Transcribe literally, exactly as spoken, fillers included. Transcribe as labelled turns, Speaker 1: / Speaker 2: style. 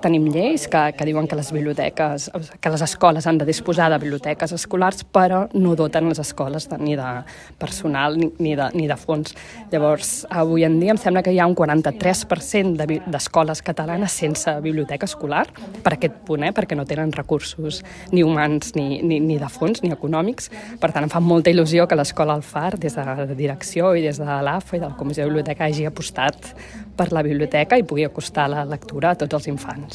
Speaker 1: Tenim lleis que, que diuen que les biblioteques, que les escoles han de disposar de biblioteques escolars, però no doten les escoles de, ni de personal ni, ni, de, ni de fons. Llavors, avui en dia em sembla que hi ha un quaranta-tres per cent de, d'escoles catalanes sense biblioteca escolar, per aquest punt, eh? Perquè no tenen recursos ni humans ni, ni, ni de fons ni econòmics. Per tant, em fa molta il·lusió que l'escola Alfar, des de la direcció i des de l'A F A i de la Comissió de Biblioteca, hagi apostat per la biblioteca i pugui acostar la lectura a tots els infants.